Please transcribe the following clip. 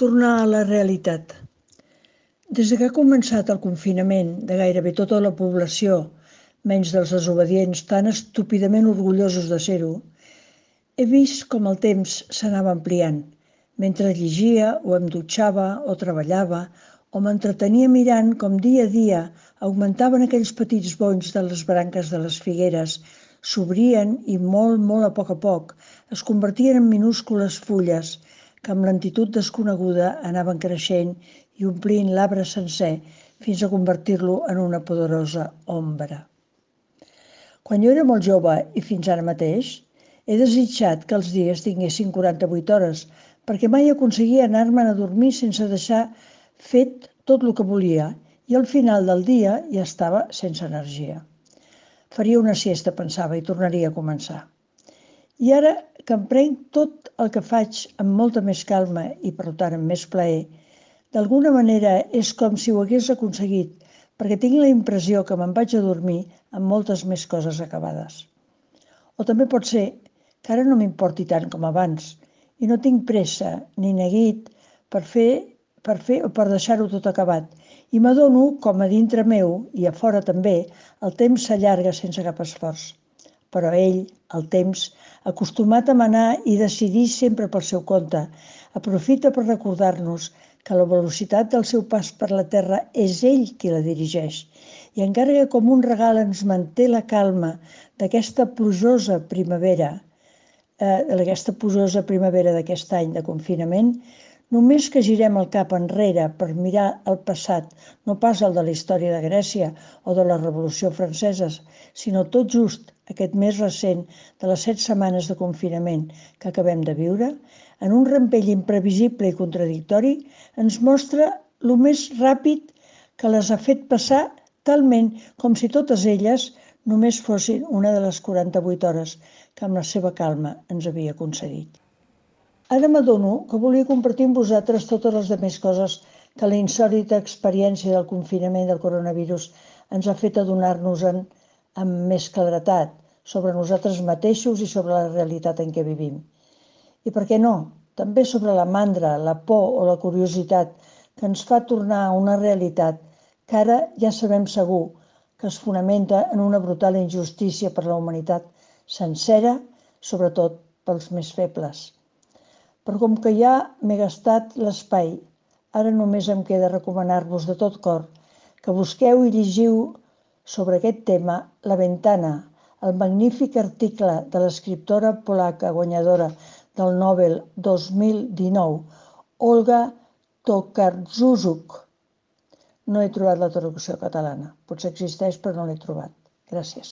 Tornar a la realitat. Des que ha començat el confinament de gairebé tota la població, menys dels desobedients tan estúpidament orgullosos de ser-ho, he vist com el temps s'anava ampliant, mentre llegia o em dutxava o treballava o m'entretenia mirant com dia a dia augmentaven aquells petits bonys de les branques de les figueres, s'obrien i molt a poc es convertien en minúscules fulles que amb lentitud desconeguda anaven creixent i omplint l'arbre sencer fins a convertir-lo en una poderosa ombra. Quan jo era molt jove i fins ara mateix, he desitjat que els dies tinguessin 48 hores, perquè mai aconseguia anar-me'n a dormir sense deixar fet tot el que volia, i al final del dia ja estava sense energia. Faria una siesta, pensava, i tornaria a començar. I ara que em prenc tot el que faig amb molta més calma i, per tant, amb més plaer, d'alguna manera és com si ho hagués aconseguit, perquè tinc la impressió que me'n vaig a dormir amb moltes més coses acabades. O també pot ser que ara no m'importi tant com abans i no tinc pressa ni neguit per fer o per deixar-ho tot acabat. I m'adono com a dintre meu i a fora també el temps s'allarga sense cap esforç. Però ell, el temps, acostumat a manar i decidir sempre pel seu compte, aprofita per recordar-nos que la velocitat del seu pas per la terra és ell qui la dirigeix. I encara que com un regal ens manté la calma d'aquesta plujosa primavera, d'aquest any de confinament, només que girem el cap enrere per mirar el passat, no pas el de la història de Grècia o de la Revolució Francesa, sinó tot just aquest més recent de les 7 setmanes de confinament que acabem de viure, en un rampell imprevisible i contradictori, ens mostra el més ràpid que les ha fet passar, talment com si totes elles només fossin una de les 48 hores que amb la seva calma ens havia concedit. Ara m'adono que volia compartir amb vosaltres totes les demés coses que la insòlita experiència del confinament del coronavirus ens ha fet adonar-nos-en amb més claretat sobre nosaltres mateixos i sobre la realitat en què vivim. I per què no? També sobre la mandra, la por o la curiositat que ens fa tornar a una realitat que ara ja sabem segur que es fonamenta en una brutal injustícia per la humanitat sencera, sobretot pels més febles. Però com que ja m'he gastat l'espai, ara només em queda recomanar-vos de tot cor que busqueu i llegiu sobre aquest tema La Ventana, el magnífic article de l'escriptora polaca guanyadora del Nobel 2019, Olga Tokarczuk. No he trobat la traducció catalana. Potser existeix, però no l'he trobat. Gràcies.